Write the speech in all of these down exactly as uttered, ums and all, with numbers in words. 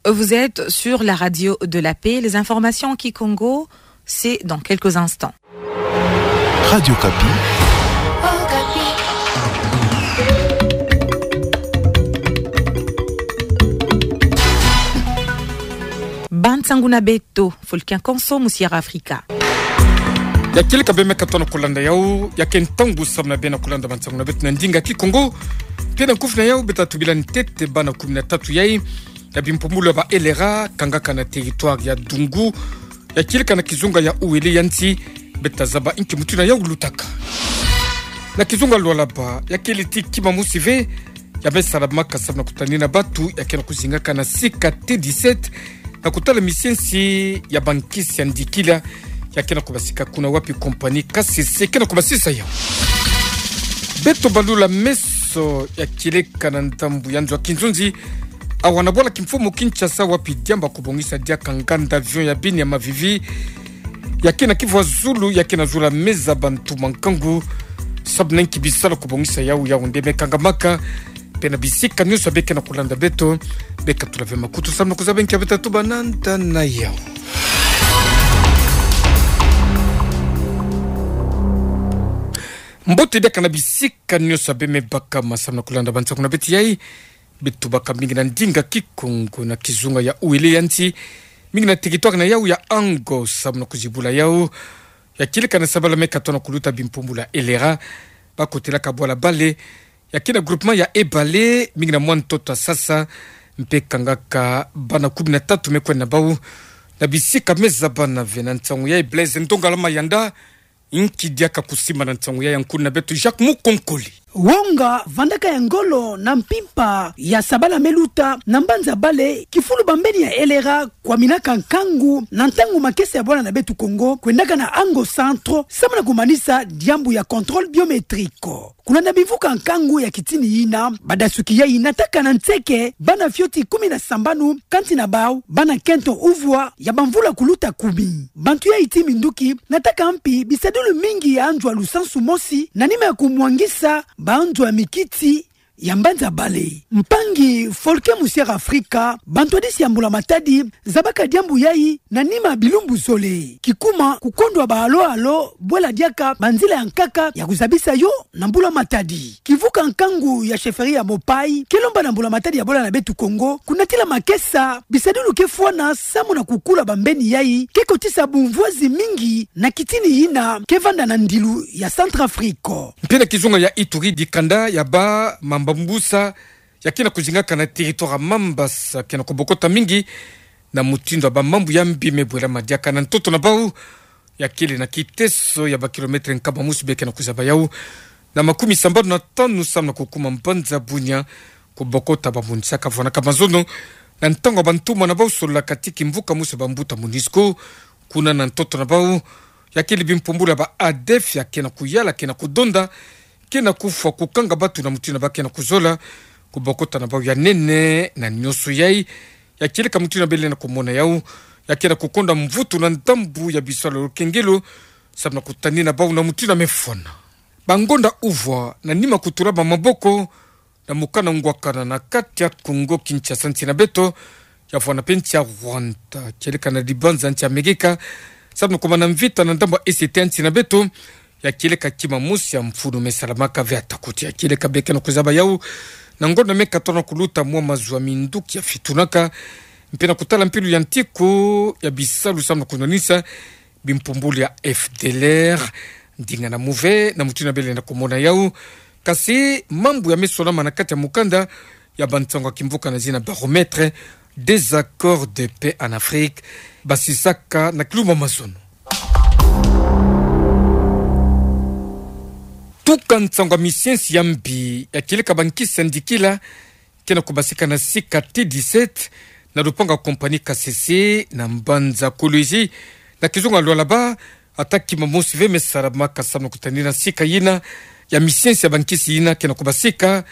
Vous êtes sur la radio de la paix. Les informations en kikongo, c'est dans quelques instants. Radio Okapi. Bansangu na beto, Folkin Konso, Musiara Afrika. Ya kieleka bê me katoa na kolanda yau, ya ke ntangu samu na bê na kolanda bansangu na beto na ndinga kikongo. Mpe na nkufi na yau, bê ta tubila ntete bana kumi na tatu yai ya bimpumbulu ya ba LRA, kangaka na territoire ya Dungu, ya kieleka na kizunga ya Uele ya nsi. Bê ta zaba inki mutindu yau lutaka. Na kizunga Lualaba, ya kele ti kima mosi ve ya me salamaka samu na kutanina batu ya ke na kuzingaka na sika T dix-sept, na kutala misiensi ya bankisi ya ndikila ya ke na kubasika kuna wapi compagnie K C C ke na kubasisa yau. Beto balula meso, ya kieleka na ndambu ya nzo ya Kinzonzi, awa na bwala kimfumu Kinshasa, wapi diambu ya kubongisa diaka nganda avion ya bini ya mavivi ya ke na kivwa zulu, ya ke na zula meza bantu mankangu samu na inki bisalu ya kubongisa yau, yau nde me kangamaka. Mpe na bisika nyonso bê ke na kolanda beto, bê katula ve makutu samu na kuzaba inki bê ta tuba nanda na yau. Mbote diaka na bisika nyonso bê me bakama samu na kolanda bansangu na beto yai. Bê tubaka mingi na ndinga kikongo na kizunga ya Uele ya nsi, mingi na territoire na yau ya Ango, samu na kuzibula yau. Ya kieleka na sabala me katoa na kuluta bimpumbulu ya LRA, ba kotelaka bwala bale ya ke na groupement ya Ebale, mingi na mwa ntoto ya Sasa, mpe kangaka bana kumi na tatu me kwenda na bau na bisika me zabana ve. Na nsangu yai Blaise Ndongala Mayanda, inki diaka kusimba na nsangu yai ya nkuna beto Jacques Mukonkole. Wonga vandaka ya ngolo na mpimpa ya sabala me luta na mbanza bale, kifulu bambeni ya LRA kwaminaka nkangu na ntangu makesa ya bwala na beto Kongo, kwendaka na Ango Centre, samu na kumanisa diambu ya contrôle biométrique. Kuna na bimvuka nkangu ya kitini yina, badasuki yai nataka na nseke bana fioti kumi na sambanu, kati na bau bana kento uvwa ya bamvula kuluta kumi. Bantu yai ti minduki nataka mpi bisadilu mingi ya nzo ya lusansu mosi, na nima ya kumwangisa ba nzo ya mikiti ya mbanza bale. Mpangi Folke Musiara Afrika, bantwadisi ya mbula matadi zabaka diambu yai na nima ya bilumbu zole. Kikuma kukondwa ba alo-alo bwela diaka banzila ya nkaka ya kuzabisa yo na mbula matadi. Kivuka nkangu ya chefferie ya Mopayi ke lomba na mbula matadi ya bwala na beto Kongo kunatila makesa bisadilu ke fwana samu na kukula bambeni yai ke kotisa bumvwazi mingi na kitini yina ke vanda na ndilu ya Centrafrique. Mpe na kizunga ya Ituri, dikanda ya ba mamba-mbusa ya ke na kuzingaka na territoire ya Mambasa ke na kubokota mingi na mutindu ya bamambu ya mbi me bwelama diaka na ntoto na bau. Ya kele na kiteso ya ba kilomètre nkama mosi bê ke na kuzaba yau na makumi sambanu na tanu samu na kukuma mbanza Bunia, kubokota ba MONUSCO. Ka vwanaka mazono na ntangu ya bantumwa na bau sololaka ti kimvuka mosi ya bambuta MONUSCO kuna na ntoto na bau. Ya kele bimpumbulu ya ba ADF ya ke na kuyala, ke na kudonda, ke na kufwa, kukanga batu na mutindu ba ke na kuzola. Kubokota na bau ya nene na nyonso yai, ya kieleka mutindu bê lenda kumona yau, ya ke na kukonda mvutu na ndambu ya bisalu ya lukengelo samu na kutanina bau na mutindu me fwana. Bangonda uvwa na nima kutula ba maboko na mokana ngwakana na kati ya Kongo Kinshasa, nsi na beto, ya vwana mpe nsi ya Rwanda, kieleka na dibanza nsi ya Amerika, samu na kumana mvita na ndambu ya Est ya nsi na beto. Ya kieleka kima mosi ya mfunu me salamaka ve, ata kuti ya kieleka bê ke na kuzaba yau na ngonda me katoa na kuluta mwa mazu ya minduki ya fitunaka, mpe na kutala mpilu ya ntiku ya bisalu samu na kunwanisa bimpumbulu ya FDLR. Ndinga na muve na mutindu bê lenda kumona yau. Kasi mambu ya me sonama na kati ya mukanda ya bansangu ya kimvuka na zina Baromètre des accords de paix en Afrique, basisaka na kilumbu ya mazono. Tuka nsangu ya misiensi ya mbi ya kieleka bankisi ya ndikila ke na kubasika na sika T dix-sept na lupangu ya compagnie K C C na mbanza Kolwezi na kizunga Lualaba, ata kima mosi ve me salamaka samu na kutanina sika yina ya misiensi ya bankisi yina ke na kubasika.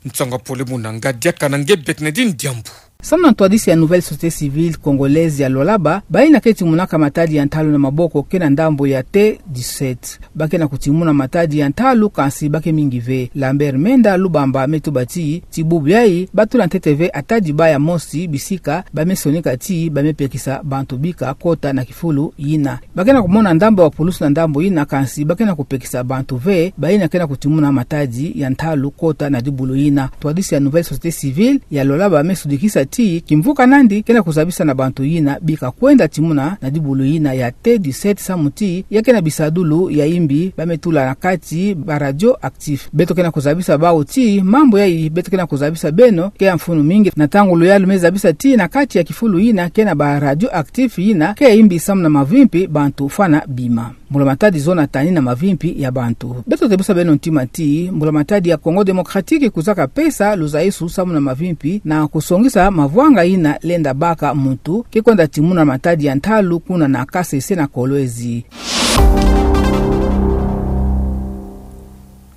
Nsangu ya pole muna nga diaka na nge Bernardine Diambu. Samu na ntwadisi ya Nouvelle Société Civile Congolaise ya Lualaba, bayina ke timonaka matadi ya ntalu na maboko ke na ndambo ya T dix-sept. Ba ke na kutimona matadi ya ntalu kansi ba ke mingi ve. Lambert Menda Lubamba me tuba ti, ti bubu yayi, ba tula ntete ve atadi baya mosi bisika ba me sonika ti ba me pekisa bantu bika kota na kifulu yina. Ba ke na kumona ndambo ya pulusu na ndambo yina kansi ba ke na kupekisa bantu ve, bayina ke na kutimona matadi ya ntalu kota na dibulu yina. Ntwadisi ya Nouvelle Société Civile ya Lualaba me sudikisa ti, kimvuka nandi ke na kuzabisa na bantu yina bika kwenda timona na dibulu yina ya T dix-sept samu ti, ya ke na bisadulu ya imbi ba me tula na kati ba radioactif. Beto ke na kuzabisa bawu ti, mambu yayi beto ke na kuzabisa beno ke ya mfunu mingi, na ntangu luyalu me zabisa ti na kati ya kifulu yina ke na ba radioactif yina ke ya imbi samu na mavimpi bantu fwana bima. Mbula matadi zona tani na mavimpi ya bantu. Beto tebisa beno ntima ti, mbula matadi ya Congo Démocratique kuzaka pesa luzaisu samu na mavimpi na kusongisa mavwanga yina lenda baka muntu ke kwenda timona matadi ya ntalu kuna na Kasese na Kolwezi.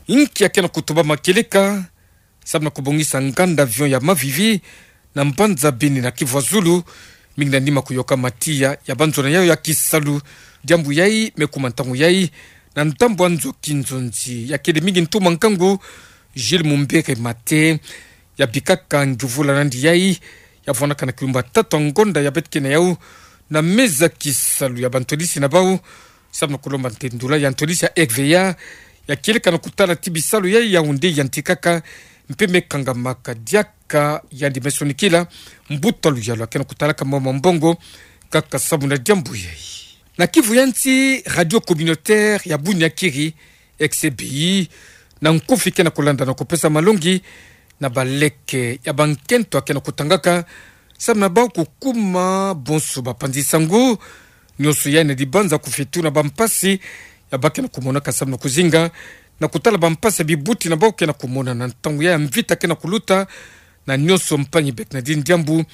Inki ya ke na kutubama kieleka samu na kubongisa nganda avion ya Mavivi na mbanza Beni na Kivu ya Zulu, mingi na nima kuyokama tiya ya banzona yayo ya kisalu. Diambu yayi me kuma ntangu yayi na ndambu ya nzo kinzonzi ya kele mingi ntuma nkangu, Gilles Mumbere Mate, ya bikaka nguvula nandi yayi, ya vwanaka na kilumbu ya tatu ya ngonda ya beto ke na yawu, na meza kisalu ya bantwadisi na bawu, samu na kulomba ntendula ya ntwadisi ya R V A, ya kieleka na kutala ti bisalu ya Yaoundé yantikaka, mpe me kangamaka diaka yandi me sonikila mbuta luyalu ya ke na kutalaka mama mbongo, kaka samu na diambu yayi. Na Kivu ya Nsi, Radio Communautaire ya Bunyakiri, X B I, na nkufi ke na kulanda na kupesa malongi na baleke ya bankento ya ke na kutangaka, samu na bawu kukuma bonso bapanzi sangu, nionso yayi na dibanza kufetu na bampasi ya ba ke na kumonaka samu na kuzinga na kutala bampasi ya bibuti na bawu ke na kumona na ntangu yayi ya mvita ke na kuluta, na nionso mpangi beke na dini diambu.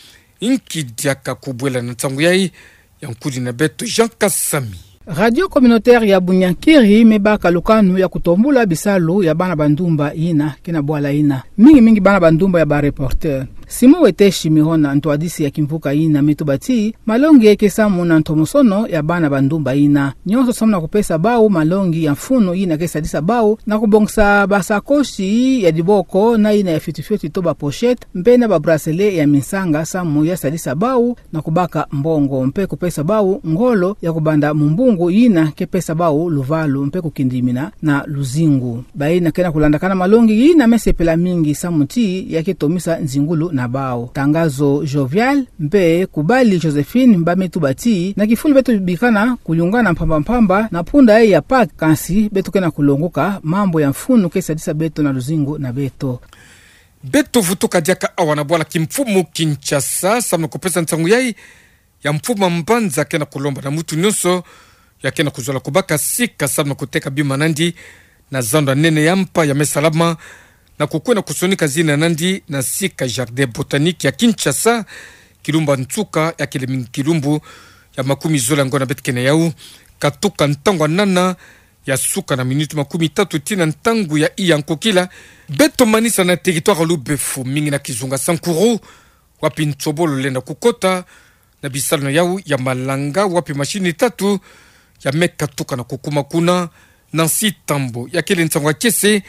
Inki diaka kubwela na ntangu yayi? Ya nkudi na beto Jean Kasami. Radio Communautaire ya Bunyakiri me baka lukanu ya kutombula bisalu ya bana bandumba yina ke na bwala yina, mingi mingi bana bandumba ya ba reporter. Simon Weteshi Mihona, ntwadisi ya kimvuka yina, me tuba ti, malongi ke samu na ntomosono ya bana bandumba yina. Nionso samu na kupesa bawu malongi ya mfunu yina ke sadisa bawu na kubongisa basakosi ya diboko na yina ya fioti fioti to ba pochette, mpe na ba bracelet ya minsanga samu ya sadisa bawu na kubaka mbongo, mpe kupesa bawu ngolo ya kubanda mumbungu yina ke pesa bawu luvalu mpe kukindimina na luzingu. Bayina ke na kulandakana malongi yina me sepela mingi samu ti ya ke tomisa nzingulu na bawu. Tangazo Jovial mpe Kubali Josephine ba me tuba ti, na kifulu beto bikana kuyungana mpamba mpamba na punda yayi ya Pâques, kansi beto ke na kulongoka mambu ya mfunu ke sadisa beto na luzingu na beto. Beto vutuka diaka awa na bwala kimfumu Kinshasa, samu na kupesa nsangu yayi ya mfumu ya mbanza ke na kulomba na muntu nionso ya ke na kuzola kubaka sika samu na kuteka bima nandi na zando ya nene ya mpa ya me salama, na kukwenda kusonika zina nandi na sika Jardin Botanique ya Kinshasa, kilumbu ya nsuka ya kele mingi kilumbu ya makumi zole ya ngonda beto ke na yawu, katuka ntangu ya nana ya suka na minuti makumi tatu tii na ntangu ya iya nkokila. Beto manisa na territoire ya Lubefu, mingi na kizunga Sankuru, wapi nsobolo lenda kukota na bisalu na yawu ya malanga, wapi masini tatu ya me katuka na kukuma kuna. Nancy Tambo, ya kele nsangu ya kiese,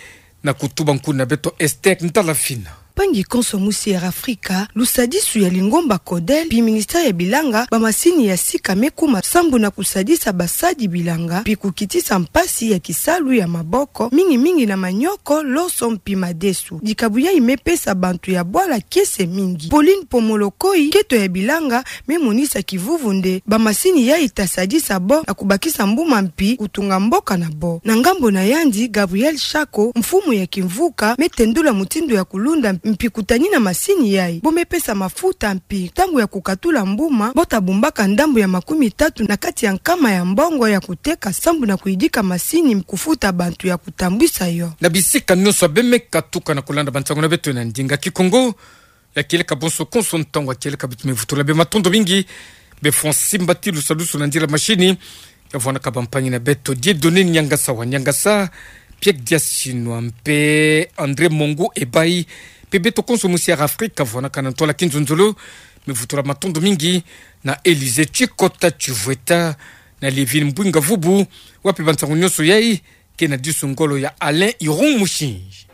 na kutuba nkuna beto Esther Ntalafina. Mpangi konso musi ya Afrika, lusadisu ya lingomba CODEL mpi ministère ya bilanga, bamasini ya sika me kuma sambu na kusadisa basadi bilanga mpi kukitisa mpasi ya kisalu ya maboko, mingi mingi na manioko, loso mpi madesu. Dikabu yayi me pesa bantu ya bwala kiese mingi. Pauline Pomolokoi, nketo ya bilanga, me monisa kivuvu nde bamasini yayi ta sadisa bo na kubakisa mbuma mpi kutunga mboka na bo. Na ngambo na yandi, Gabriel Shako, mfumu ya kimvuka, me tendula mutindu ya kulunda mpi kutanina masini yayi. Bo me pesa mafuta mpi ntangu ya kukatula mbuma, bo ta bumbaka ndambu ya makumi tatu na kati ya nkama ya mbongo ya kuteka sambu na kuyidika masini kufuta bantu ya kutambwisa yo. Na bisika nionso be me katuka na kulanda bansangu na beto na ndinga Kikongo, ya kieleka bonso konso ntangu ya kieleka, beto me vutula be matondo mingi. Be Francis Mbati, lusadusu na nzila masini, ya vwanaka bampangi na beto Dieudonné Niangasa wa Niangasa, Pierre Diasinwa mpe André Mongo Ebayi, Mpe beto konso mu Sierra Afrika, vwanakana ntwala kinzonzolo. Mevutula matondo mingi na Elysée Tchikota Tchivueta, na Lievine Mbwinga Vubu, wa mpe bansangu nyonso yai, ke na disu ngolo ya Alain Irung Mushinji.